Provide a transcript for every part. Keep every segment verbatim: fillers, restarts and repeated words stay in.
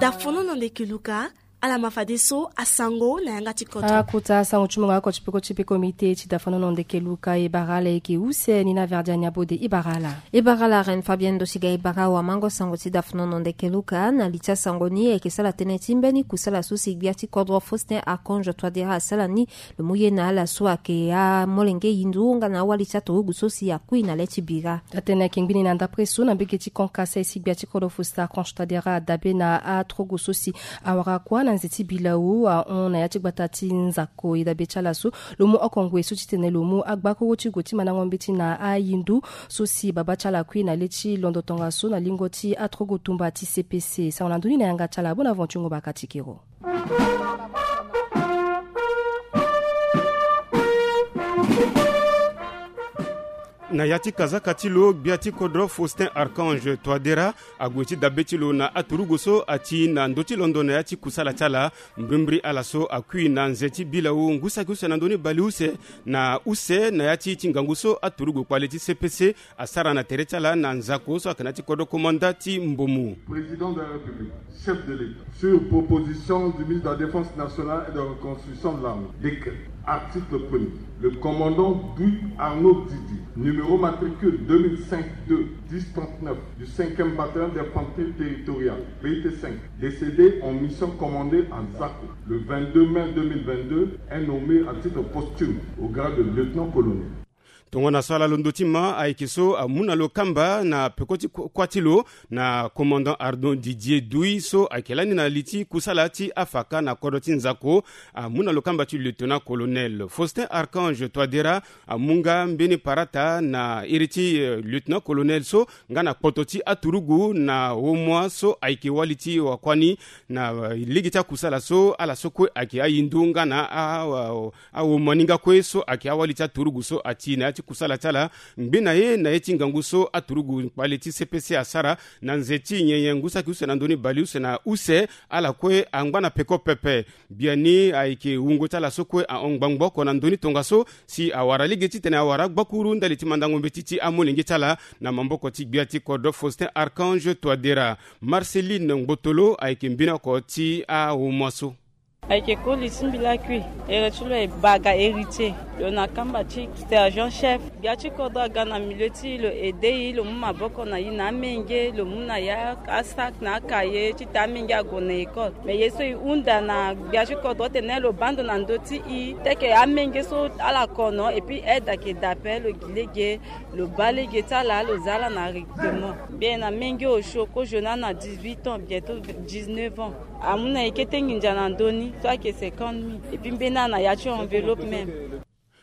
Dafonono ndeke luka. Ala ma fadeso asango na yanga ti kodro. Akota asango ti mungo oko ti peko ti peko mite ti dafonono ndeke luka e bara ala eke use ni na verdi aniabo de e bara ala. E bara ala ren fabien ndosiga e bara awamango sango ti dafonono ndeke luka na li ti asango ni eke sala tënë ti mbeni kusala so si gbia ti kodro Faustin Archange Touadéra asala ni. Lo mu ye na ala so ayeke amolenge yindu nga na awali ti aturugu so si akui na le ti bira. Atene ayeke ngbini na ndapre so na mbege ti konkasa esi gbia ti kodro Faustin Archange Touadéra adabe na aturugu so si awara kuâ na nze ti bilau ahon na ya ti gbata ti nzako e dabe ti ala so. Lo mu oko ngoi so titene lo mu agbakuru ti gue ti mandango mbeti na ayindu so si babâ ti ala akui na le ti londo tongaso na lingo ti aturugu tumba ti C P C. Sango na ndoni na yanga ti ala Bonaventure Ngobaka Tikero. Na ya ti kazaka ti lo gbia ti kodro Faustin Archange Touadéra ague ti dabe ti lo na aturugu so ati na ndö ti londo na ya ti kusala ti ala. Mbrimbri ala so akui na nze ti bilau ngu saki use na ndö ni baleuse na use na ya ti ti ngangu so aturugu kpale ti C P C asara na tere ti ala na nzako so ayeke na ya ti kodro komanda ti Mbomu. Président de la République, chef de l'État, sur proposition du ministre de la Défense nationale et de la Reconstruction de l'armée, décret. Article premier. Le commandant Douy Arnaud Didier, numéro matricule deux mille cinq deux dix trente-neuf du cinquième bataillon d'infanterie territoriale, B I T cinq, décédé en mission commandée à Zako le vingt-deux mai deux mille vingt-deux, est nommé à titre posthume au grade de lieutenant-colonel. Tongana so ala londo ti ma ayeke so amu na lo kamba na peko ti ku- kuâ ti lo na commandant Arnaud Didier Douy so ayeke lani na li ti kusala ti afaka na kodro ti nzako. Amu na lo kamba ti lieutenant-colonel. Faustin Archange Touadéra amu nga mbeni parata na iri ti eh, lieutenant-colonel so nga na kpoto ti aturugu na aumoi so ayeke wali ti wakuâ ni na eh, lege ti akusala so ala so kue ayeke ahindu nga na a- a- aumoi ni nga kue so ayeke awali ti aturugu so ati na ya ti kusala ti ala. Ngbe na ye na ye ti ngangu so aturugu kpale ti C P C asara na nze ti nyenye ngu saki use na ndö ni baleuse na use, ala kue angba na peko pepe. Biani ayeke wungo ti ala so kue ahon ngbangbo oko na ndö ni tongaso si awara lege titene awara agbakuru ndali ti mandango mbeti ti amolenge ti ala na maboko ti gbia ti kodro Faustin Archange Touadéra. Marceline Ngbotolo ayeke mbeni oko ti aumoi so. Ayeke koli ti mbi lakui. Ere ti lo e Baga Héritier. Lo na kamba ti sergent chef. Gbia ti kodro aga na milieu ti lo aide e, lo mu maboko na e na amenge, lo mu na e asak na akaye titene amenge ague na école. Mais ye so e hunda na gbia ti kodro titene lo baa ndo na ndö ti e, teke amenge so ala kono et puis aide ayeke daa ape, lo gi lege, lo baa lege ti ala, lo za ala na recrutement. Bien na menge osio kozo ni ana dix-huit ans, bientôt dix-neuf ans. Amu na e kete nginza na ndö ni so ayeke cinquante mille. Et puis mbeni ana ya ti enveloppe même.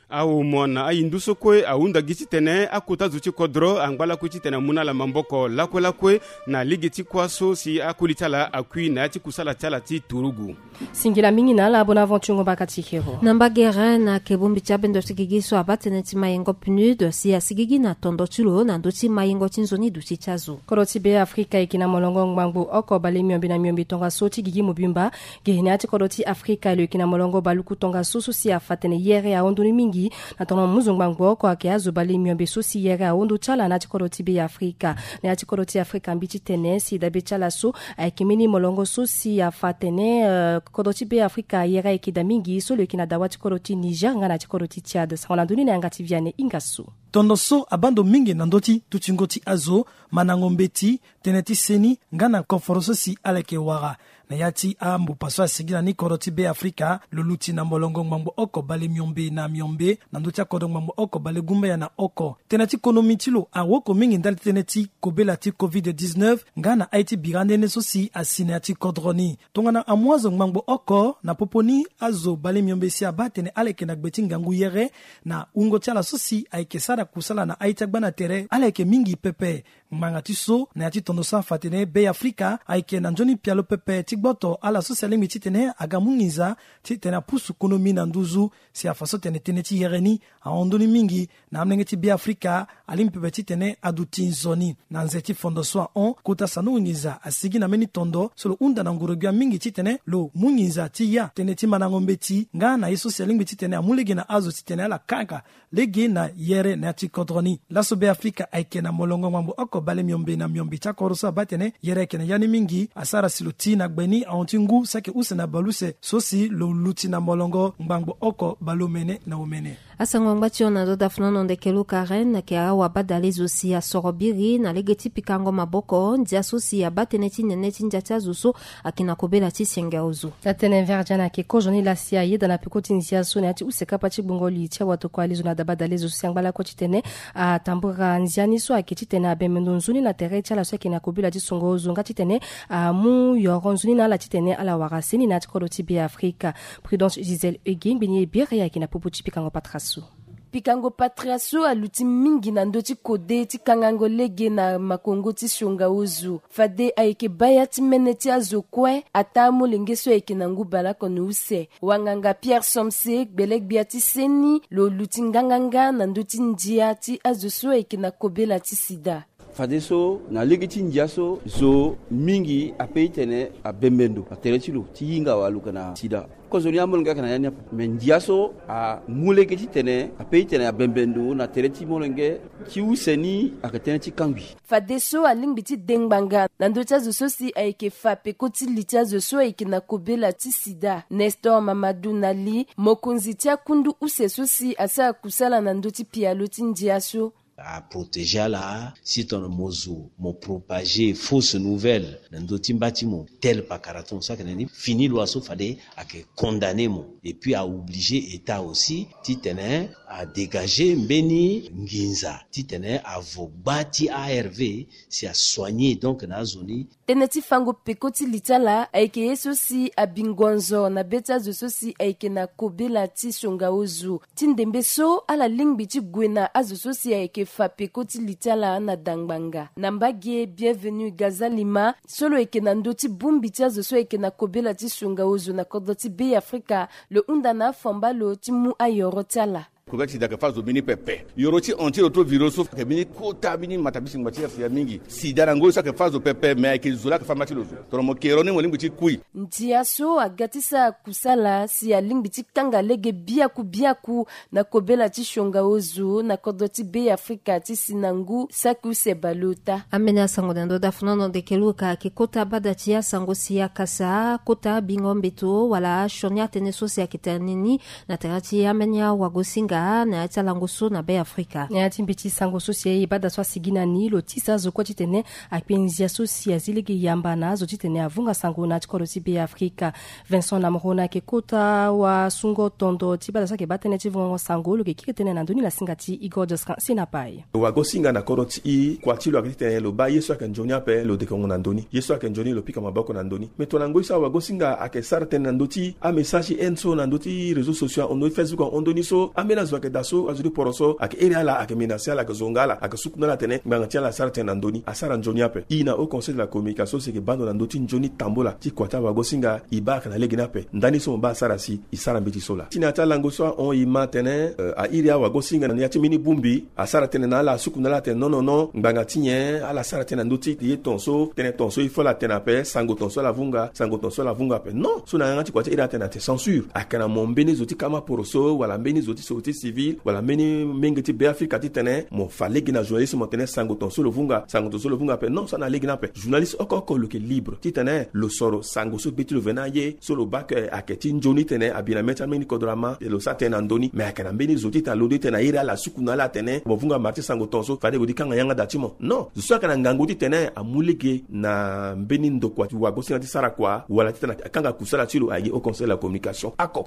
Aumoi na ahindu so kue ahunda gi titene akota zo ti kodro angba lakue titene amu na ala maboko lakue lakue na lege ti kuâ so si akoli ti ala akui na ya ti kusala ti ala ti turugu. Singila mingi na ala Bonaventure Ngobaka Tikero. Na mbagere na yeke bongbi ti abendo ti gigi so abaa tënë ti mayengo PNUD si asigigi na tondo ti lo na ndö ti mayengo ti nzoni duti ti azo. Kodro ti Be Afrika e yeke na molongo ngbangbo oko bale miombe na miombe tongaso ti gigi mobimba. Ge na ya ti kodro ti Afrika lo yeke na molongo baluku tongaso so si afa tene yere ahon ndoni mingi. Na tongana muzu ngbangbo oko ayeke azo bale miombe so si yere ahon ndo ti ala na ya ti kodro ti Be Afrika. Na ya ti kodro ti Afrika mbi titene si dabe ti ala so ayeke mbeni molongo so si afa atene eh, kodro ti Be Afrika yere ayeke daa mingi so lo yeke na dawa ti kodro ti Niger nga na ya ti kodro ti Tchad. Sango na ndoni na yanga ti Vianney Ingasso. Tondo so abaa ndo mingi na ndö ti dutingo ti azo, mandango mbeti, tënë ti seni nga na koforo so si ala yeke wara. Na ya ti ambupa so asigi na ni kodro ti Be Afrika lo luti na molongo ngbangbo oko bale miombe na miombe na ndö ti akodro ngbangbo oko bale gumbaya na oko. Tënë ti konomi ti lo awoko mingi ndali ti tënë ti kobela ti covid dix-neuf nga na aye ti bira nde nde so si asi na ya ti kodro ni. Tongana amu azo ngbangbo oko na popo ni azo bale miombe si abaa atene ala yeke na gbe ti ngangu yere na wungo ti ala so si ayeke sara kusala na aye ti agba na tere ala yeke mingi pepe. Ngbanga ti so na ya ti tondo so afa atene Be Afrika ayeke na nzoni pialo pepe ti gboto ala so si alingbi titene aga mu nginza titene apusu konomi na nduzu. Si afa so tene tënë ti yere ni ahon ndoni mingi na amolenge ti Be Afrika alingbi pepe titene aduti nzoni. Na nze ti fondo so ahon kota sanduku nginza asigi na mbeni tondo so lo hunda na nguru-gbia mingi titene lo mu nginza ti ya tënë ti mandango mbeti nga na ye so si alingbi titene amu lege na azo titene ala kanga lege na yere na Na ti kodro ni laso Be Afrika ayeke na molongo ngbangbo oko bale miombe na miombe ti akoro so abaa tene yere ayeke na ya ni mingi asara si lo ti na gbe ni ahon ti ngu si ayeke use na baleuse so si lo luti na molongo ngbangbo oko bale omene na omene. Asango angba ti hon na ndo dafnono ndeke lo Karen ayeke awabadale zo si asoro biri na lege ti pikango maboko ndia so si abaa tënë ti nene ti ndia ti azo so ayeke na kobela ti senge ozo. Atene Verdian ayeke kozo ni laa si ayeda na peko ti ndia so na ya ti use kapa ti gbongo li ti awatokua li zo na dabadale zo si angba lakue titene atambura ndia ni so ayeke titene abembe ndo nzoni na tere ti ala so ayeke na kobela ti songo ozo nga titene amu yoro nzoni na ala titene ala wara seni na ya ti kodro ti Be Afrika. Prudence Gisèle Eugue ngbeni ye biri ayeke na popo ti pikango patara so. Pikango patara so aluti mingi na ndö ti kode ti kangango lege na makongo ti sionga ozo. Fade ayeke baa ya ti mene ti azo kue ataa molenge so ayeke na ngu baleoko na use. Wanganga Pierre Somse gbele-gbia ti seni lo luti nganganga na ndö ti ndia ti azo so ayeke na kobela ti sida. Fadeso na lege ti ndia so zo mingi ape titene abembe ndo na tere ti lo ti hinga wala lo yeke na sida. Kozo ni amolenge ayeke na ya ni ape. Me ndia so amu lege titene ape titene abembe ndo na tere ti molenge ti use ni ayeke tënë ti kangbi. Fadeso alingbi ti de ngbanga na ndö ti azo so si ayeke fa peko ti li ti azo so ayeke na kobela ti sida. Nestor Mamadou Nali, mokonzi ti akundu use so si asara kusala na ndö ti pialo ti ndia so. Aprotégé ala si tongana mo zo mo propagé fausse nouvelle na ndö ti mba ti mo, tel pakara ti mo so ayeke na ni fini loi so fade ayeke condamné mo. Et puis a obligé état aussi titene a dégagé mbeni nginza titene avo gba ti A R V si a soigné donc na azo ni. Tënë ti fango peko ti li ti ala ayeke ye so si abi ngonzo na be ti azo so si ayeke na kobela ti sionga ozo. Ti ndembe so ala lingbi ti gue na azo so si ayeke fa peko ti li ti ala na dangbanga. Na mbage Bienvenu Gazalima so lo yeke na ndö ti bongbi ti azo so ayeke na kobela ti sionga ozo na kodro ti Be-Afrika, lo hunda na afamba lo ti mu ayoro ti ala. Kobela ti sida ayeke fâ zo mbeni pepe. Yoro ti antirétroviro so ayeke mbeni kota mbeni matabisi ngba ti asia mingi. Sida na ngoi so ayeke fâ zo pepe, me ayeke zo laa ayeke fâ mba ti lo zo. Tongana mo ke yoro ni mo lingbi ti kui. Ndia so aga ti sara kusala si alingbi ti kanga lege biaku biaku na kobela ti sionga ozo na kodro ti Be-Afrika ti si na ngu saki use baleota. Ambeni asango na ndo dafnono ndeke luka ayeke kota bada ti asango si akasa kota bingo mbeto wala asioni atënë so si ayeke tene ni na tere ti ambeni awagosinga na ya ti alango so na Be-Afrika. Na ya ti mbeti sango so si aye bada so asigi na ni lo tisa azo kue titene akpe nzia so si azi lege yamba na azo titene avunga sango na ya ti kodro ti Be-Afrika. Vincent Namrona ayeke kota wasungo tondo ti bada so ayeke baa tënë ti vongongo sango lo yeke kiri tënë na ndö ni na singa ti Igor Joscan Senapai. Wagosinga na kodro ti e kua ti lo ayeke titene lo baa ye so ayeke nzoni ape lo dekongo na ndö ni, ye so ayeke nzoni lo pika maboko na ndö ni. Me tongana ngoi so awagosinga ayeke sara tënë na ndö ti amessage ti haine so na ndö ti réseaux sociaux ahon ndö ti Facebook ahon ndö ni so ambeni azo ayeke daa so azo ti poro so ayeke iri ala, ayeke menase ala, ayeke zonga ala, ayeke suku na ala atene ngbanga ti ala asara tënë na ndö ni, asara nzoni ape. E na Haut Conseil de la Communication so si ayeke baa ndo na ndö ti nzoni tambula ti kua ti awagosinga e baa ayeke na lege ni ape. Ndani so mo baa asara si e sara mbeti so laa. Ti na ya ti alango so ahon e ma atene, euh, a iri awagosinga na ya ti mbeni bongbi asara tënë na ala, asuku na ala atene non non non, ngbanga ti nyen ala sara tënë na ndö ti ye ton so, tënë ton so il faut ala tene ape, sango ton so ala vunga, sango ton so ala vunga ape. Non, so na yanga ti kua ti iri atene ate censure. Ayeke na mo mbeni zo ti kama poroso wala mbeni zo ti société civile wala mbeni menge ti Beafrika titene mo fa lege na journaliste mo tene sango ton so lo vunga, sango ton so lo vunga ape. Non, so na lege ni ape. Journaliste oko oko lo yeke libre titene lo soro sango so be ti lo veni aye, so lo baa ke ayeke ti nzoni titene abi na mê ti ambeni kodro ama, lo sara tënë na ndö ni. Me ayeke na mbeni zo titene alondo titene na iri ala, asuku na ala atene mo vunga mara ti sango ton so, fade mo di kanga yanga da ti mo. Non, zo so ayeke na ngangu titene amu lege na mbeni ndokua ti wagosinga ti sara kua wala titene akanga kusala ti lo, aye Haut Conseil de la Communication oko.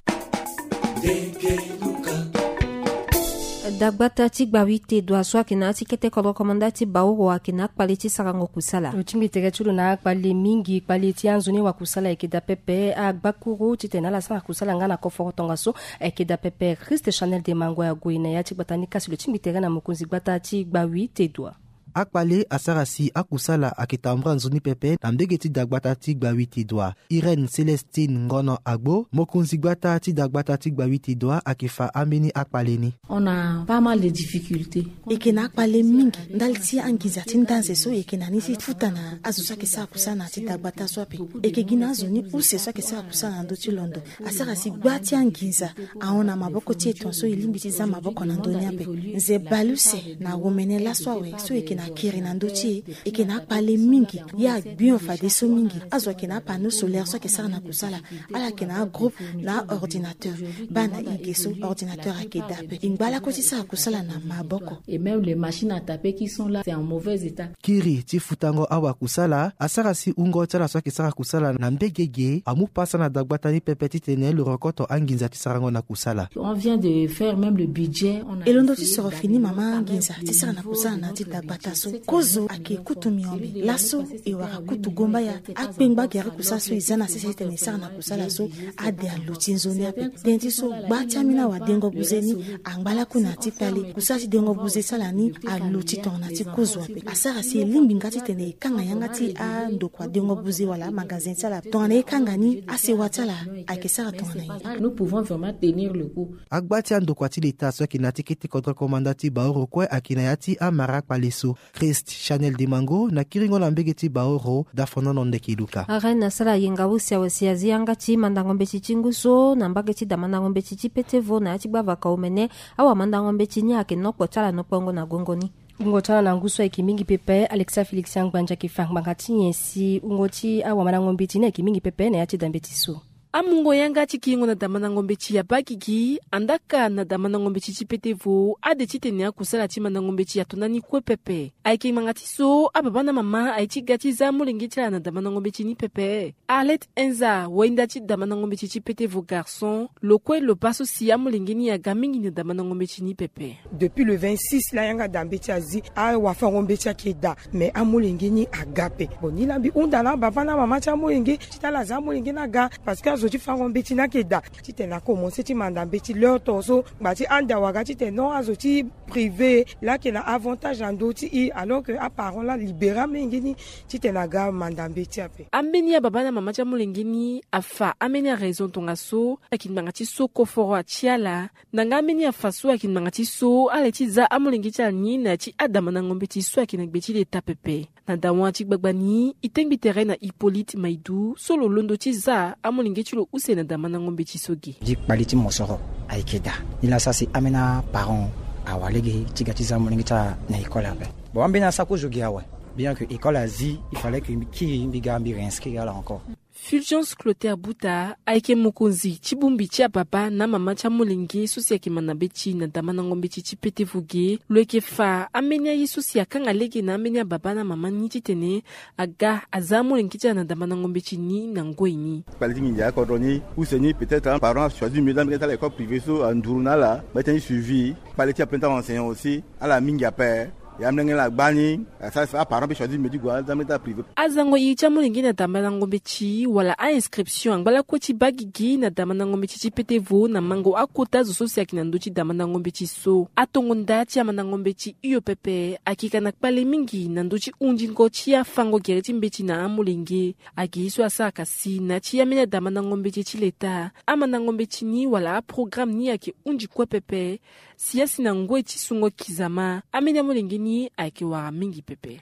Dagbata ti Gbawi Tedua so ayeke na ya ti kete kodro komanda ti Baoro ayeke na akpale ti sarango kusala. Lo tingbi tere ti lo na akpale mingi. Kpale ti anzoni wakusala ayeke daa pepe, agbakuru titene ala sara kusala nga na koforo tongaso ayeke daa pepe. Christ Chanel de Mangua ague na ya ti gbata ni kasi lo tingbi tere na mokonzi gbata ti Gbawi Tedua. Akpale asara si akusala ayeke tambula nzoni pepe na mbege ti dagbata ti Gbawiti Dua. Irène Célestine Ngono Agbo, mokonzi gbata ti dagbata ti Gbawiti Dua, ayeke fa ambeni akpale ni. On a pas mal de difficultés. E yeke na akpale mingi ndali ti anginza ti ndanze so e yeke na ni ti futa na azo so ayeke sara kusala na ya ti dagbata so ape. E yeke gi na azo ni use so ayeke sara kusala na ndö ti londo. Asara si gba ti anginza ahon na maboko ti e tongaso e lingbi ti za maboko na ndö ni ape. Nze baleuse na womene laso awe so e yeke na kiri na ndö ti e, e yeke na akpale mingi. Ye agbion fadeso mingi. Azo ayeke na apanneau solaire so ayeke sara na kusala. Ala yeke na agroupe na aordinateur. Baa na e ge so ordinateur ayeke daa ape. E ngba lakue ti sara kusala na maboko. Et même les machines à taper qui sont là, c'est en mauvais état. Kiri ti futango awakusala asara si wungo ti ala so ayeke sara kusala na mbege ge amu pasa na dagbata ni pepe titene lo rokoto anginza ti sarango na kusala. On vient de faire même le budget, on a... E londo ti soro fini mama anginza ti sara na kusala na ya ti dagbata so. Kozo ayeke kutu miombe. Laso e wara kutu gomba ya. Akpengba gere kusala so e za na sese titene e sara na kusala so ade alo ti nzoni ape. Tënë ti so gba ti ambeni awadengo buze ni angba lakue na ya ti kpale. Kusala ti dengo buze ti ala ni alo ti tongana ti kozo ape. Asara si e lingbi nga titene e kanga yanga ti andokua dengo buze wala amagazin ti ala. Tongana e kanga ni asewa ti ala ayeke sara tongana nyen? Nous pouvons vraiment tenir le coup. Agba ti andokua ti leta so ayeke na ya ti kete kodro komanda ti Baoro kue ayeke na ya ti amara akpale so. Christ Chanel Dimango na kiringo na mbege ti Baoro, dafonono ndeke luka. Arène asara yenga use awe si azi yanga ti mandango mbeti ti ngu so na mbage ti damandango mbeti ti Petevo na ya ti gbavaka omene. Awamandango mbeti ni ayeke nokpo ti ala nokpongo na gongo ni. Wungo ti ala na ngu so ayeke mingi pepe. Alexa Félix Angbanja ayeke fa ngbanga ti nyen si wungo ti awamandango mbeti ni ayeke mingi pepe na ya ti da mbeti so. Amungo yanga ti kiringo na damandango mbeti ya Bagigi, andaka na damandango mbeti ti Petevo, ade titene akusala ti mandango mbeti ato na ni kue pepe. Ayeke ngbanga ti so ababa na mama aye ti ga ti za amolenge ti ala na damandango mbeti ni pepe. Arlette Enza, wainda ti damandango mbeti ti Petevo garçon, lo kue lo baa so si amolenge ni aga mingi na damandango mbeti ni pepe. Depuis le vingt-six la yanga da mbeti azi, awafango mbeti ayeke daa, mais amolenge ni aga ape. Bon, ni la mbi hunda na ababa na amama ti amolenge ti tene ala za amolenge ni aga, parce que azo ti fango mbeti ni ayeke daa. Titene akomense ti manda mbeti l'heure tongaso, ngba ti ande awaga titene non, azo ti privé la ayeke na avantage na ndö ti e, alors que aparent la alibéré amolenge ni titene aga manda mbeti ape. Ambeni ababa na amama ti amolenge ni afa ambeni araison tongaso, ayeke ngbanga ti so koforo atia ala. Na nga ambeni afa so ayeke ngbanga ti so ala ye ti za amolenge ti ala ni na ya ti adamandango mbeti so ayeke na gbe ti leta pepe. Na dawa ti gbagba ni, e tengbi tere na Hippolyte Maïdou so lo londo ti za amolenge ti lo use na damandango mbeti so ge. Gi kpali ti mosoro ayeke daa. Ni la sara si ambeni aparent awa lege ti ga ti za amolenge ti ala na école ape. Bon, ambeni asara kozo ge awe. Bien que école azi, il fallait que mbi kiri, mbi ga mbi réinscrire ala encore. Fulgence Clotaire Buta ayeke mokonzi ti bongbi ti ababa na amama ti amolenge so si ayeke manda mbeti na damandango mbeti ti Petevo ge. Lo yeke fa ambeni aye so si akanga lege na ambeni ababa na amama ni titene aga aza amolenge ti ala na damandango mbeti ni na ngoi ni. Kpale ti nginza akodro ni use ni, peut-être aparent achoisir mieux ti amolenge ti ala école privée so anduru na ala, mbi tene suivi. Kpale ti aplan ti aenseignant aussi, ala mingi ape. Ya amolenge ni agba ni asara si aparent mpe choisir medi gua ti amolenge ti ala privé. Azango iri ti amolenge na damandango mbeti wala ainscription angba lakue ti baa gigi na damandango mbeti ti Petevo na mango akota zo so si ayeke na ndö ti damandango mbeti so. Atongo nda ti amandango mbeti hio pepe ayeke ka na kpale mingi na ndö ti hundingo ti afango gere ti mbeti na amolenge. Ayeke ye so asaraka si na ya ti ambeni adamandango mbeti ti leta, amandango mbeti ni wala aprograme ni ayeke hundi kue pepe. Si asi na ngoi ti sungo kizama, ambeni amolenge ni ayeke wara mingi pepe.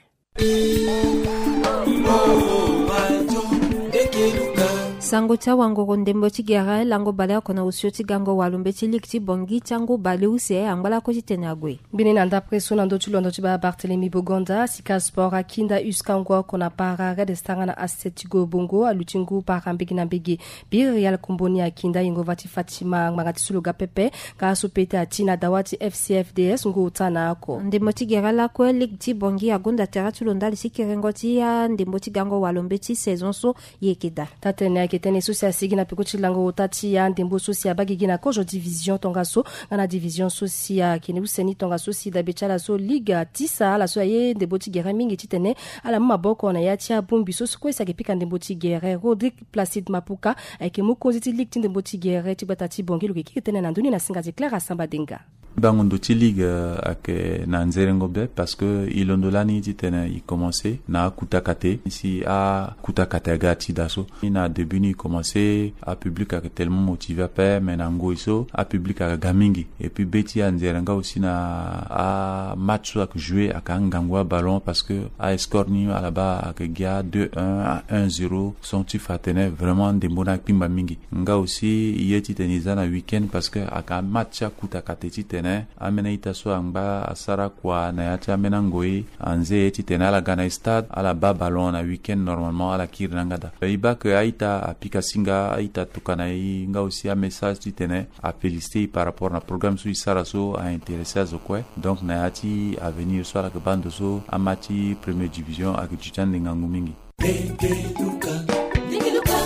Sango ti awangoro ndembo ti gere lango baleoko na osio ti gango walo mbeti ligue ti Bangui ti angu baleuse angba lakue ti tene ague. Mbeni na ndapre so na ndö ti londo ti baa Barthélemy Bogonda, Sika Sport, Akinda, Uskango, Konapara, Red Star na Asset ti Gobongo, aluti ngu para mbege na mbege. Biri Real Komboni Akinda, Yengova ti Fatima, ngbanga ti so lo ga pepe, ka so pete ati na dawa ti F C F D S ngu ota na oko. Ndembo ti gere lakue, Ligue ti Bangui agonda tere ti lo ndali ti kerengo ti andembo ti gango walo mbeti saison so. Ye yeke daa. Taa-tene ayeke tënë so si asigi na peko ti lango ota ti andembo so si abaa gigi na kozo division tongaso, nga na division so si ayeke ni use ni tongaso si dabe ti ala so ligue atisa ala so aye ndembo ti gere mingi titene ala mu maboko na ya ti abongbi so so kue si ayeke pika ndembo ti gere. Rodrigue Placide Mapuka ayeke mokonzi ti ligue ti ndembo ti gere ti gbata ti Bangui, lo yeke kiri tënë na ndö ni na singa ti Claire Asamba Denga. Bango ndo ti ligue, euh, ayeke na nzerengo be, parce que e londo lani titene e commencé na akuta kate, si akuta kate aga ti da so. Ni na début ni e commencé, apublic ayeke tellement motivé ape, mais na ngoi so apublic ayeke ga mingi. Et puis be ti anzere nga aussi na amatch so ayeke joué ayeke angangu aballon, parce que ascore ni ala baa ayeke gi a deux un, a un zéro, son ti fa atene vraiment ndembo ni akpingba mingi. Nga aussi e ye titene e za na week-end, parce que ayeke amatch ti akuta kate titene ambeni a-ita so angba asara kua na ya ti ambeni angoi anze ye titene ala ga na e stade, ala baa ballon na week-end, normalement ala kiri na yanga daa. E baa ke a-ita apika singa, a-ita atokua na e nga aussi amessage titene afélicité e par rapport na programme so e sara so, aintéressé azo kue. Donc na ya ti avenir so ala yeke baa ndo so amatch ti première division ayeke duti ande ngangu mingi.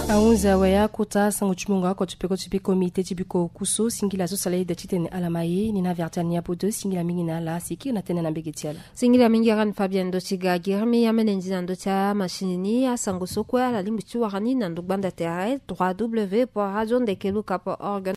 Ahunzi awe akota sango ti mungo oko ti peko ti bi comité ti biko oku so singila so sala ida titene ala ma e ni na avertir ni apo deux. Singila mingi na ala si e kiri na tënë na mbege ti ala. Singila mingi rani Fabien ndo ti ga girimi amene ndi na ndo ti amachine ni. Asango so kue ala lingbi ti wara ni na ndo gbanda tere trois w point radio ndeke luka point org.